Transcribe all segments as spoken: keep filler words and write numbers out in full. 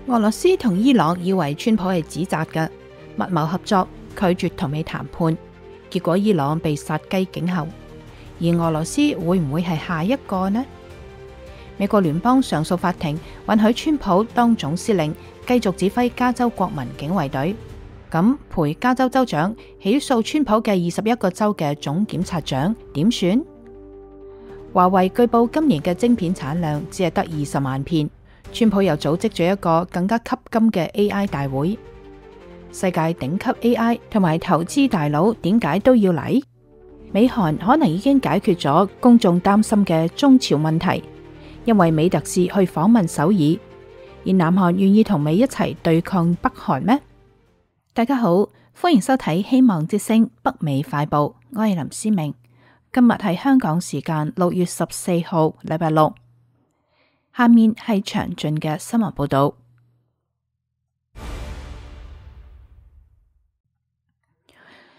俄羅斯同伊朗以為川普係指責嘅，密謀合作，拒絕同美談判，結果伊朗被殺雞儆猴，而俄羅斯會唔會係下一個呢？美國聯邦上訴法庭允許川普當總司令，繼續指揮加州國民警衛隊，咁陪加州州長起訴川普嘅二十一個州嘅總檢察長點算？華為據報今年嘅晶片產量只係得二十萬片。川普又組織咗一個更加吸金嘅 A I 大會，世界頂級 A I 同埋投資大佬點解都要嚟？美韓可能已經解決咗公眾擔心嘅中朝問題，因為美特使去訪問首爾，而南韓願意同美一齊對抗北韓咩？大家好，歡迎收睇希望之聲北美快報，我係林思明，今日係香港時間六月十四號，禮拜六。下面係詳盡嘅新聞報道。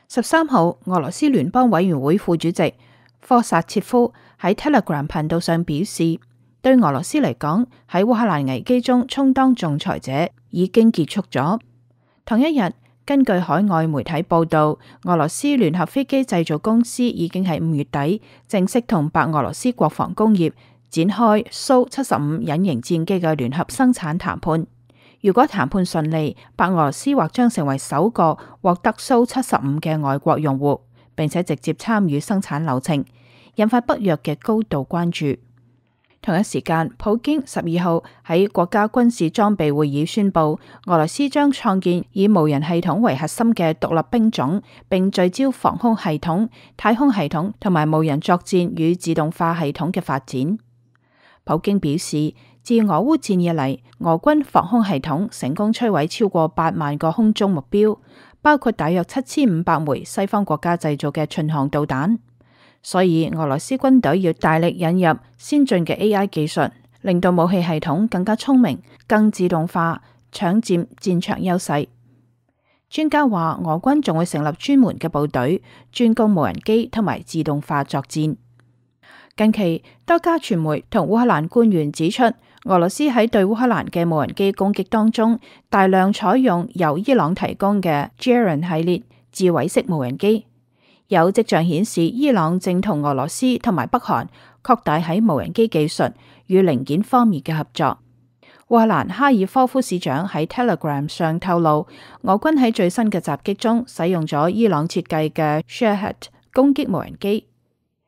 十三號，俄羅斯聯邦委員會副主席科薩切夫喺 Telegram 頻道上表示，對俄羅斯嚟講，喺烏克蘭危機中充當仲裁者已經結束咗。同一日，根據海外媒體報道，俄羅斯聯合飛機製造公司已經喺五月底正式同白俄羅斯國防工業展開蘇七十五隱形戰機嘅聯合生產談判。如果談判順利，白俄羅斯或將成為首個獲得蘇七十五嘅外國用戶，並且直接參與生產流程，引發北約嘅高度關注。同一時間，普京十二號喺國家軍事裝備會議宣布，俄羅斯將創建以無人系統為核心嘅獨立兵種，並聚焦防空系統、太空系統同埋無人作戰與自動化系統嘅發展。普京表示，自俄烏戰以嚟，俄軍防空系統成功摧毀超過八萬個空中目標，包括大約七千五百枚西方國家製造嘅巡航導彈。所以俄羅斯軍隊要大力引入先進嘅 A I 技術，令到武器系統更加聰明、更自動化，搶佔戰場優勢。專家話，俄軍仲會成立專門嘅部隊，專攻無人機同埋自動化作戰。近期，多家傳媒同烏克蘭官員指出，俄羅斯喺對烏克蘭嘅無人機攻擊當中，大量採用由伊朗提供嘅 Jiran 系列自毀式無人機。有跡象顯示，伊朗正同俄羅斯同埋北韓擴大喺無人機技術與零件方面嘅合作。烏克蘭哈爾科夫市長喺 Telegram 上透露，俄軍喺最新嘅襲擊中使用咗伊朗設計嘅 Shahed 攻擊無人機、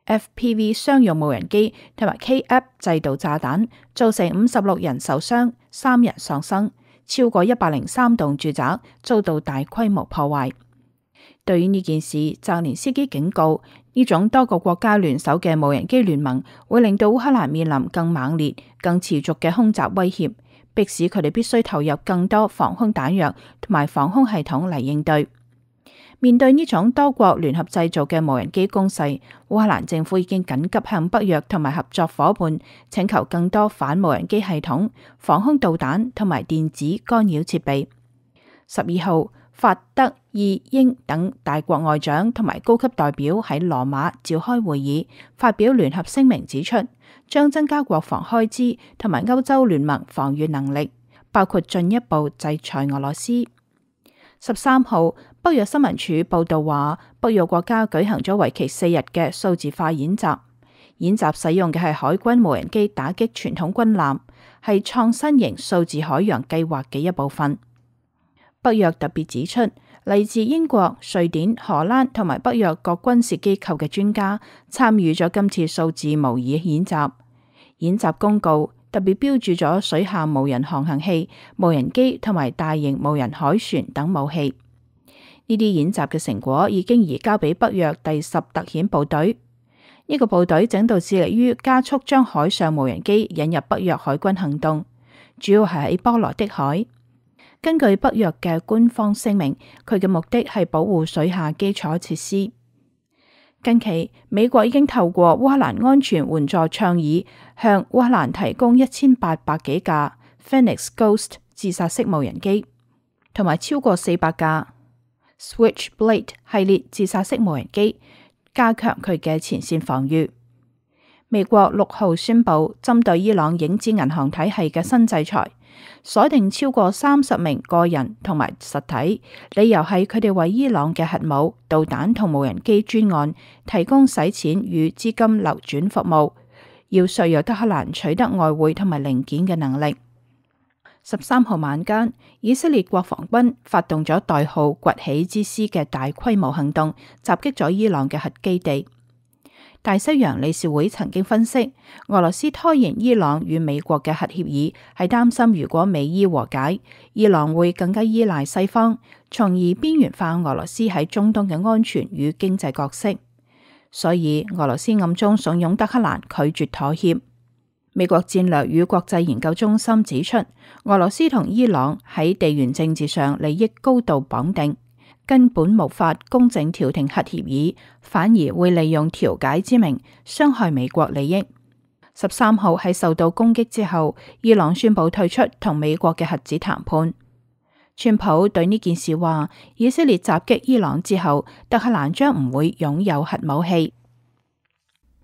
F P V 商用無人機同埋 K A P 制導炸彈，造成五十六人受傷，三人喪生，超過一百零三棟住宅遭到大規模破壞。對於呢件事，澤連斯基警告，呢種多個國家聯手嘅無人機聯盟會令到烏克蘭面臨更猛烈、更持續嘅空襲威脅，迫使佢哋必須投入更多防空彈藥同埋防空系統嚟應對。面對呢種多國聯合製造嘅無人機攻勢，烏克蘭政府已經緊急向北約同埋合作夥伴請求更多反無人機系統、防空導彈同埋電子干擾設備。十二號，法德意英等大國外長同埋高級代表喺羅馬召開會議，發表聯合聲明指出，將增加國防開支同埋歐洲聯盟防禦能力，包括進一步制裁俄羅斯。十三號，北約新聞處報道話，北約國家舉行咗為期四日嘅數字化演習，演習使用嘅係海軍無人機打擊傳統軍艦，係創新型數字海洋計劃嘅一部分。北約特別指出，嚟自英國、瑞典、荷蘭同埋北約各軍事機構嘅專家參與咗今次數字模擬演習。演習公告特別標注咗水下無人航行器、無人機同埋大型無人海船等武器。呢啲演習嘅成果已經移交俾北約第十特遣部隊。呢、這個部隊整度致力於加速將海上無人機引入北約海軍行動，主要係喺波羅的海。根據北約嘅官方聲明，佢嘅目的係保護水下基礎設施。近期，美國已經透過烏克蘭安全援助倡議，向烏克蘭提供一千八百幾架 Phoenix Ghost 自殺式無人機，同埋超過四百架 Switchblade 系列自殺式無人機，加強佢嘅前線防禦。美國六號宣布針對伊朗影子銀行體系嘅新制裁，鎖定超過三十名個人同埋實體，理由係佢哋為伊朗嘅核武、導彈同無人機專案提供洗錢與資金流轉服務，要削弱德黑蘭取得外匯同埋零件嘅能力。十三號晚間，以色列國防軍發動咗代號崛起之獅嘅大規模行動，襲擊咗伊朗嘅核基地。大西洋理事會曾經分析，俄羅斯拖延伊朗與美國嘅核協議，係擔心如果美伊和解，伊朗會更加依賴西方，從而邊緣化俄羅斯喺中東嘅安全與經濟角色。所以俄羅斯暗中慫恿德黑蘭拒絕妥協。美國戰略與國際研究中心指出，俄羅斯同伊朗喺地緣政治上利益高度綁定，根本無法公正調停核協議，反而會利用調解之名傷害美國利益。十三號喺受到攻擊之後，伊朗宣布退出同美國嘅核子談判。川普對呢件事話，以色列襲擊伊朗之後，德黑蘭將唔會擁有核武器。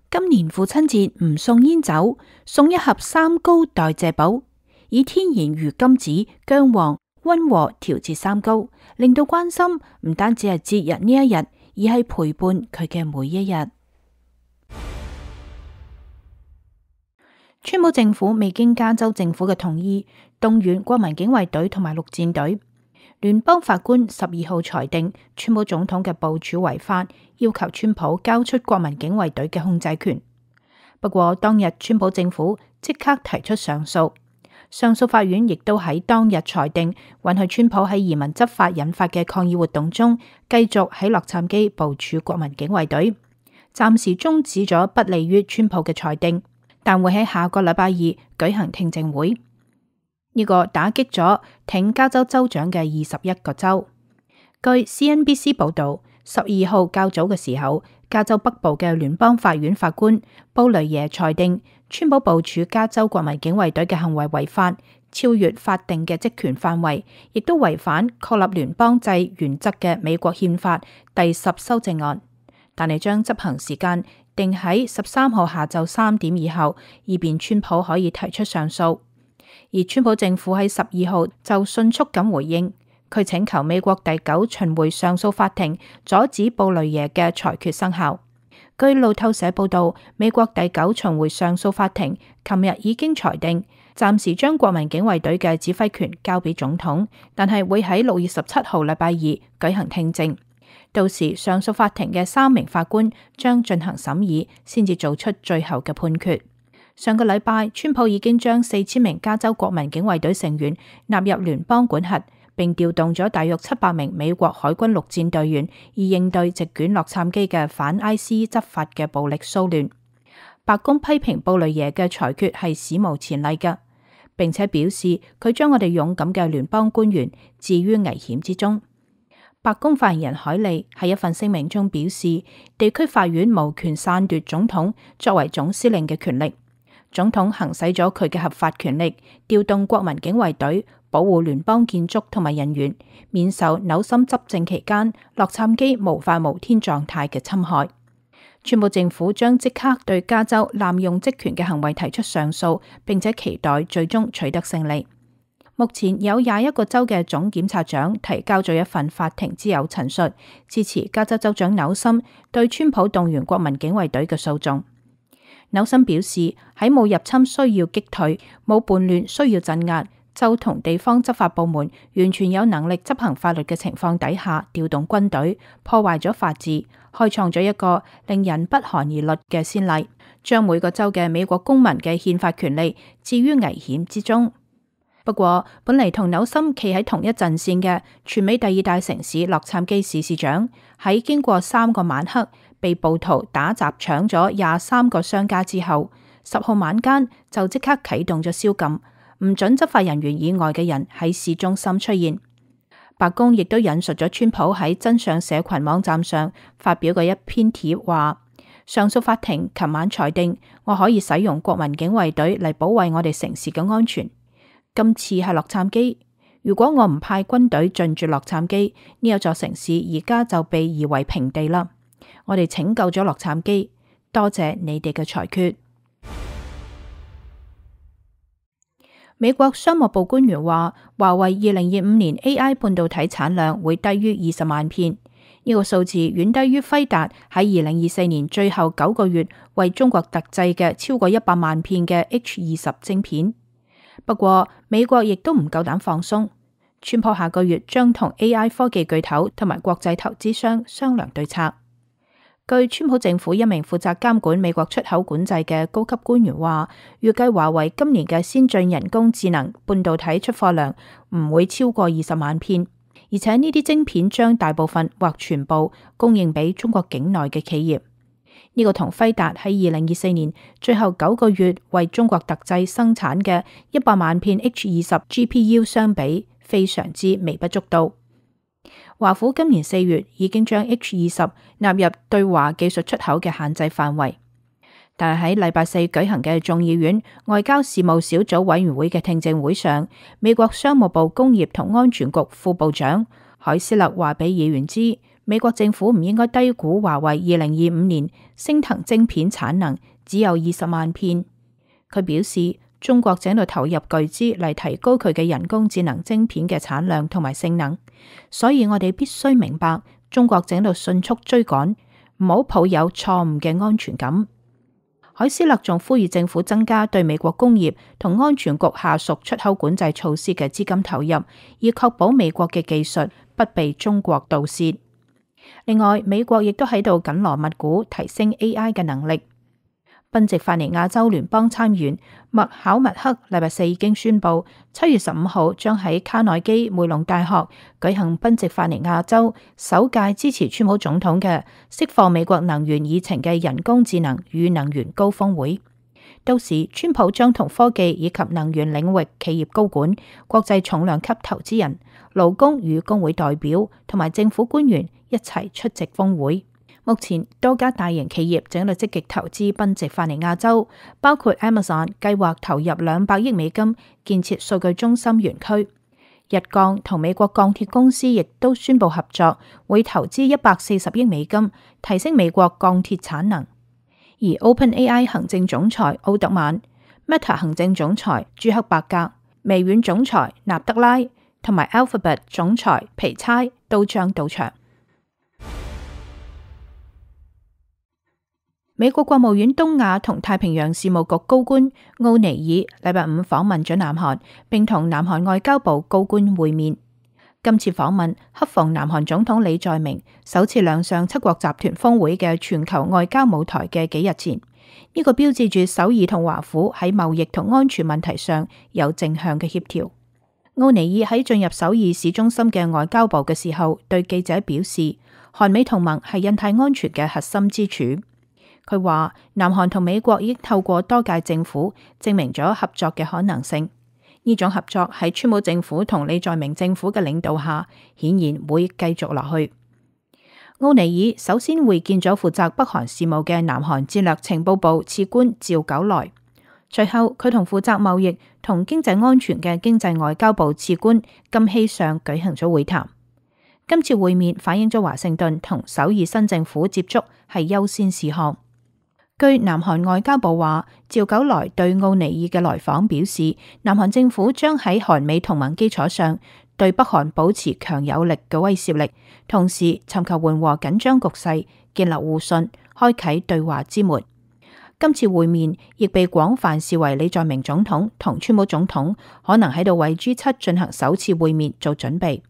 今年父親節唔送煙酒，送一盒三高代謝寶，以天然魚甘子、薑黃溫和調節三高，令到關心唔單止係節日呢一日，而係陪伴佢嘅每一日。川普政府未經加州政府嘅同意，動員國民警衛隊同埋陸戰隊。聯邦法官十二號裁定川普總統嘅部署違法，要求川普交出國民警衛隊嘅控制權。不過當日川普政府即刻提出上訴，上訴法院亦都喺當日裁定允許川普喺移民執法引發嘅抗議活動中，繼續喺洛杉磯部署國民警衛隊，暫時終止咗不利於川普嘅裁定，但會喺下個禮拜二舉行聽證會。呢個打擊咗挺加州州長嘅二十一個州。據 C N B C 報道，十二號較早嘅時候，加州北部嘅聯邦法院法官布雷耶裁定，川普部署加州國民警衛隊嘅行為違法，超越法定嘅職權範圍，亦都違反確立聯邦制原則嘅美國憲法第十修正案，但係將執行時間定喺十三號下晝三點以後，以便川普可以提出上訴。而川普政府喺十二號就迅速咁回應，佢請求美國第九巡迴上訴法庭阻止布雷耶嘅裁決生效。據路透社報道，美國第九巡迴上訴法庭琴日已經裁定，暫時將國民警衛隊嘅指揮權交俾總統，但係會喺六月十七號禮拜二舉行聽證。到時上訴法庭嘅三名法官將進行審議，先至做出最後嘅判決。上個禮拜，川普已經將四千名加州國民警衛隊成員納入聯邦管轄，並調動咗大約七百名美國海軍陸戰隊員，以應對席捲洛杉磯嘅反 I C E 執法嘅暴力騷亂。白宮批評布雷耶嘅裁決係史無前例嘅，並且表示佢將我哋勇敢嘅聯邦官員置於危險之中。白宮發言人海利喺一份聲明中表示，地區法院無權篡奪總統作為總司令嘅權力。總統行使咗佢嘅合法權力，調動國民警衛隊保護聯邦建築同埋人員，免受紐森執政期間洛杉磯無法無天狀態嘅侵害。川普政府將即刻對加州濫用職權嘅行為提出上訴，並且期待最終取得勝利。目前有廿一個州嘅總檢察長提交咗一份法庭之友陳述，支持加州州長紐森對川普動員國民警衛隊嘅訴訟。紐森表示，喺冇入侵需要擊退、冇叛亂需要鎮壓、州同地方執法部門完全有能力執行法律嘅情況底下，調動軍隊破壞咗法治，開創咗一個令人不寒而慄嘅先例，將每個州嘅美國公民嘅憲法權利置於危險之中。不過，本嚟同紐森企喺同一陣線嘅全美第二大城市洛杉磯市市長，喺經過三個晚黑被暴徒打砸搶咗廿三個商家之後，十號晚間就即刻啟動咗宵禁，唔准執法人員以外嘅人喺市中心出現。白宮亦都引述咗川普喺真相社群網站上發表嘅一篇帖話，上訴法庭琴晚裁定，我可以使用國民警衛隊嚟保衛我哋城市嘅安全。今次係洛杉磯，如果我唔派軍隊進駐洛杉磯，呢一座城市而家就被夷為平地啦。我哋拯救咗洛杉磯，多謝你哋嘅裁決。美國商務部官員話，華為二零二五年 A I 半導體產量會低於二十萬片，呢、這個數字遠低於輝達喺二零二四年最後九個月為中國特製嘅超過一百萬片嘅 H 二十晶片。不過，美國亦都唔夠膽放鬆，川普下個月將同 A I 科技巨頭同埋國際投資商商量對策。據川普政府一名負責監管美國出口管制嘅高級官員話，預計華為今年嘅先進人工智能半導體出貨量唔會超過二十萬片，而且呢啲晶片將大部分或全部供應俾中國境內嘅企業。呢、這個同輝達喺二零二四年最後九個月為中國特製生產嘅一百萬片 H 二十 G P U 相比，非常之微不足道。華府今年四月已經將 H 二十納入對華技術出口嘅限制範圍，但係喺禮拜四舉行嘅眾議院外交事務小組委員會嘅聽證會上，美國商務部工業同安全局副部長海斯勒話俾議員知，美國政府唔應該低估華為二零二五年昇騰晶片產能只有二十萬片。佢表示，中國正喺度投入巨資嚟提高佢嘅人工智能晶片嘅產量同埋性能，所以我哋必須明白，中國正喺度迅速追趕，唔好抱有錯誤嘅安全感。海斯勒仲呼籲政府增加對美國工業同安全局下屬出口管制措施嘅資金投入，以確保美國嘅技術不被中國盜竊。另外，美國亦都喺度緊鑼密鼓提升 A I 嘅能力。賓夕法尼亞州聯邦參議員麥考密克禮拜四已經宣布，七月十五號將喺卡內基梅隆大學舉行賓夕法尼亞州首屆支持川普總統嘅釋放美國能源議程嘅人工智能與能源高峰會。到時，川普將同科技以及能源領域企業高管、國際重量級投資人、勞工與工會代表同埋政府官員一齊出席峰會。目前多家大型企業正喺度積極投資賓夕法尼亞州，包括 Amazon 計劃投入兩百億美金建設數據中心園區。日鋼同美國鋼鐵公司亦都宣布合作，會投資一百四十億美金提升美國鋼鐵產能。而 OpenAI 行政總裁奧特曼、Meta 行政總裁朱克伯格、微軟總裁納德拉同埋 Alphabet 總裁皮猜都將到場。美國國務院東亞同太平洋事務局高官奧尼爾禮拜五訪問咗南韓，並同南韓外交部高官會面。今次訪問恰逢南韓總統李在明首次亮相七國集團峰會嘅全球外交舞台嘅幾日前，呢、這個標誌住首爾同華府喺貿易同安全問題上有正向嘅協調。奧尼爾喺進入首爾市中心嘅外交部嘅時候，對記者表示，韓美同盟係印太安全嘅核心支柱。佢話，南韓同美國已經透過多屆政府證明咗合作嘅可能性。呢種合作喺川普政府同李在明政府嘅領導下，顯然會繼續落去。奧尼爾首先會見咗負責北韓事務嘅南韓戰略情報部次官趙九來，隨後佢同負責貿易同經濟安全嘅經濟外交部次官金希尚舉行咗會談。今次會面反映咗華盛頓同首爾新政府接觸係優先事項。據南韓外交部話，趙九來對奧尼爾嘅來訪表示，南韓政府將喺韓美同盟基礎上對北韓保持強有力嘅威懾力，同時尋求緩和緊張局勢，建立互信，開啟對話之門。今次會面亦被廣泛視為李在明總統同川普總統可能喺度為 G 七進行首次會面做準備。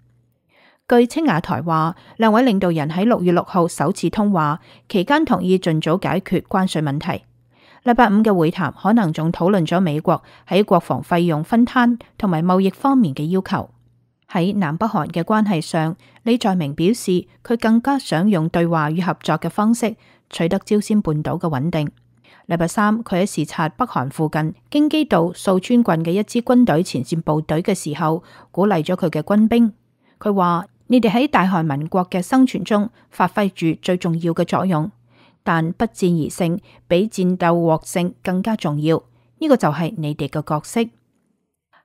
據青瓦台話，兩位領導人喺六月六號首次通話期間同意盡早解決關稅問題。禮拜五嘅會談可能仲討論咗美國喺國防費用分攤同埋貿易方面嘅要求。喺南北韓嘅關係上，李在明表示佢更加想用對話與合作嘅方式取得朝鮮半島嘅穩定。禮拜三，佢喺視察北韓附近京畿道素川郡嘅一支軍隊前線部隊嘅時候，鼓勵咗佢嘅軍兵。佢話：你哋喺大韓民國嘅生存中發揮住最重要嘅作用，但不戰而勝比戰鬥獲勝更加重要。呢、這個就係你哋嘅角色。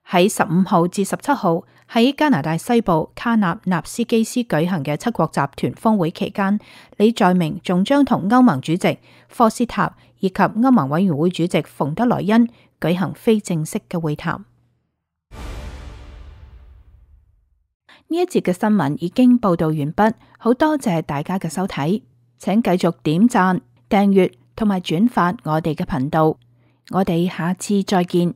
喺十五號至十七號喺加拿大西部卡納納斯基斯舉行嘅七國集團峰會期間，李在明仲將同歐盟主席科斯塔以及歐盟委員會主席馮德萊恩舉行非正式嘅會談。呢一節嘅新聞已經報道完畢，好多謝大家嘅收睇，請繼續點讚、訂閱同埋轉發我哋嘅頻道，我哋下次再見。